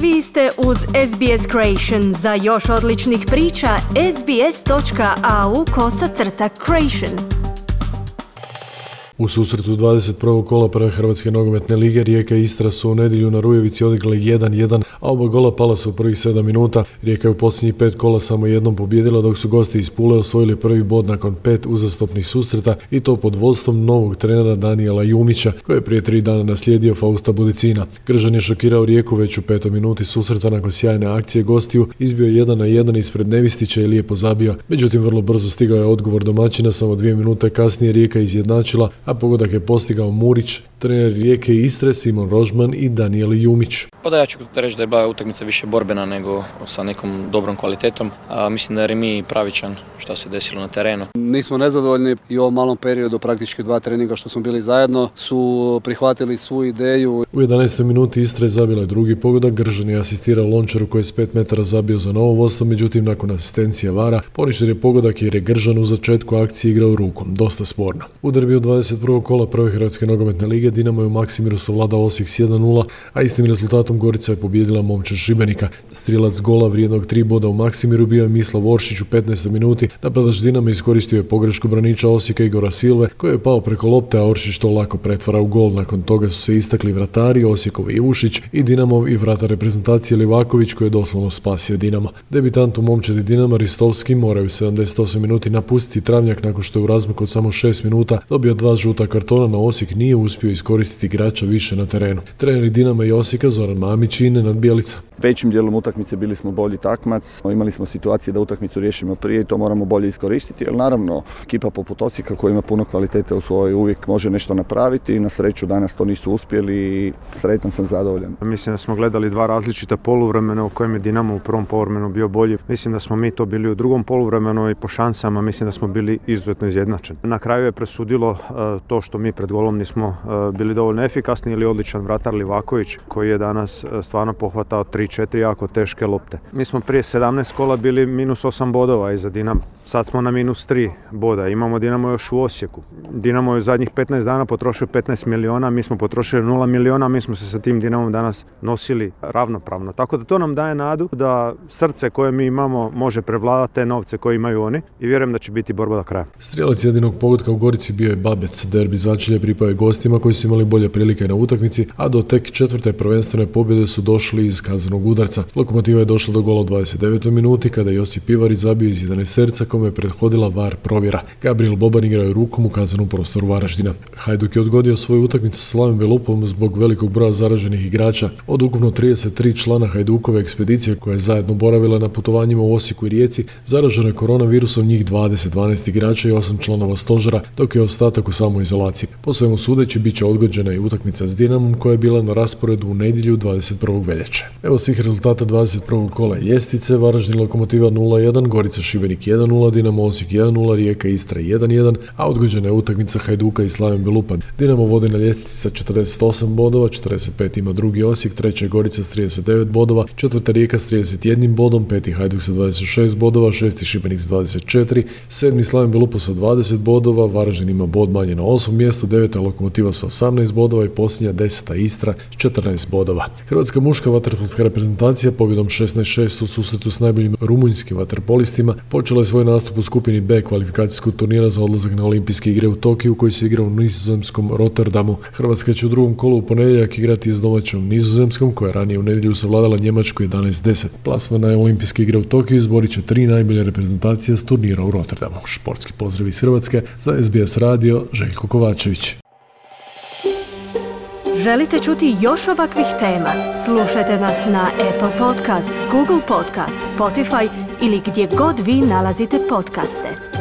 Vi ste uz SBS Creation. Za još odličnih priča, sbs.au/creation. U susretu 21. kola prve Hrvatske nogometne lige Rijeka i Istra su u nedjelju na Rujevici odigrali 1-1, a oba gola pala su u prvih 7 minuta. Rijeka je u posljednjih 5 kola samo jednom pobijedila, dok su gosti iz Pule osvojili prvi bod nakon 5 uzastopnih susreta, i to pod vodstvom novog trenera Danijela Jumića, koji je prije 3 dana naslijedio Fausta Budicina. Gržan je šokirao Rijeku već u 5. minuti susreta nakon sjajne akcije gostiju, izbio 1-1 ispred Nevistića i lijepo zabio. Međutim, vrlo brzo stigao je odgovor domaćina, samo 2 minute kasnije Rijeka izjednačila, a pogodak je postigao Murić, trener Rijeke i Istre Simon Rožman i Danijel Jumić. Pa da, ja ću reći da je bila utakmica više borbena nego sa nekom dobrom kvalitetom. Mislim da je remi pravičan što se desilo na terenu. Nismo nezadovoljni i u ovom malom periodu, praktički 2 treninga što smo bili zajedno, su prihvatili svu ideju. U 11. minuti Istra je zabila drugi pogodak, Gržan je asistirao Lončaru koji je s 5 metara zabio za novo vodstvo, međutim nakon asistencije VAR-a poništen je pogodak jer je Gržan u začetku akcije igrao rukom, dosta sporno. U derbiju 21. kola prve Hrvatske nogometne lige Dinamo je u Maksimiru savladao Osijek s 1-0, a istim rezultatom Gorica je pobijedila Momčad Šibenika. Strijelac gola vrijednog 3 boda u Maksimiru bio je Mislav Oršić u 15. minuti. Napadač Dinama iskoristio je pogrešku braniča Osijeka Igora Silve, koji je pao preko lopte, a Oršić to lako pretvara u gol. Nakon toga su se istakli vratari Osijekov Ivušić i Dinamov i vratar reprezentacije Livaković, koji je doslovno spasio Dinamo. Debitant u Momčadi Dinama Ristovski moraju u 78 minuti napustiti Travnjak nakon što je u razmaku od samo 6 minuta dobio 2 žuta kartona, na Osijek nije uspio iskoristiti igrača više na terenu. Treneri Dinama i Osijeka Zoran Mamić i Nenad Bjelica. Većim dijelom utakmice bili smo bolji takmac, imali smo situacije da utakmicu riješimo prije i to moramo bolje iskoristiti, jer naravno ekipa poput Osijeka koja ima puno kvalitete u svojoj uvijek može nešto napraviti i na sreću danas to nisu uspjeli i sretan sam, zadovoljan. Mislim da smo gledali 2 različita poluvremena u kojem je Dinamo u prvom poluvremenu bio bolji. Mislim da smo mi to bili u drugom poluvremenu i po šansama mislim da smo bili izuzetno izjednačeni. Na kraju je presudilo to što mi pred golom nismo bili dovoljno efikasni ili odličan vratar Livaković koji je danas stvarno pohvatao 3-4 jako teške lopte. Mi smo prije 17 kola bili -8 bodova iza Dinama. Sad smo na -3 boda. Imamo Dinamo još u Osijeku. Dinamo je u zadnjih 15 dana potrošio 15 miliona, mi smo potrošili 0 miliona, mi smo se sa tim Dinamom danas nosili ravnopravno. Tako da to nam daje nadu da srce koje mi imamo može prevladati te novce koje imaju oni i vjerujem da će biti borba do kraja. Strijelac jedinog pogotka u Gorici bio je Babec. Derbi začelje pripao je gostima koji su imali bolje prilike na utakmici, a do tek 4. prvenstvene pobjede su došli iz kaznenog udarca. Lokomotiva je došla do gola u 29. minuti kada je Josip Ivarić zabio iz 11-terca kome je prethodila VAR provjera. Gabriel Boban igrao je rukom u kaznenom prostoru Varaždina. Hajduk je odgodio svoju utakmicu sa Slavim Velupom zbog velikog broja zaraženih igrača. Od ukupno 33 člana Hajdukove ekspedicije koja je zajedno boravila na putovanjima u Osijeku i Rijeci, zaraženo je koronavirusom njih 12 igrača i 8 članova stožera, dok je ostatak u samoizolaciji. Po svemu sudeći bit će odgođena i utakmica s Dinamom koja je bila na rasporedu u nedjelju 21. veljače. Evo svih rezultata 21. kola ljestvice: Varaždin Lokomotiva 0-1, Gorica Šibenik 1-0, Dinamo Osijek 1-0, Rijeka Istra 1-1, a odgođena je utakmica Hajduka i Slaven Belupa. Dinamo vodi na ljestvici sa 48 bodova, 45 ima drugi Osijek, treća Gorica s 39 bodova, četvrta Rijeka s 31 bodom, peti Hajduk sa 26 bodova, šesti Šibenik s 24, sedmi Slaven Belupa sa 20 bodova, Varaždin ima bod manje na 8. mjestu, deveta Lokomotiva sa 18 bodova i posljednja 10. Istra s 14 bodova. Hrvatska muška vaterpolska reprezentacija pobjedom 16-6 u susretu s najboljim rumunjskim vaterpolistima počela je svoj nastup u skupini B kvalifikacijskog turnira za odlazak na Olimpijske igre u Tokiju koji se igra u nizozemskom Rotterdamu. Hrvatska će u drugom kolu u ponedjeljak igrati s domaćom Nizozemskom koja je ranije u nedjelju savladala Njemačku 11-10. Plasman na Olimpijske igre u Tokiju izborit će 3 najbolje reprezentacije s turnira u Rotterdamu. Športski pozdrav iz Hrvatske, za SBS radio Željko Kovačević. Želite čuti još ovakvih tema? Slušajte nas na Apple Podcast, Google Podcast, Spotify ili gdje god vi nalazite podcaste.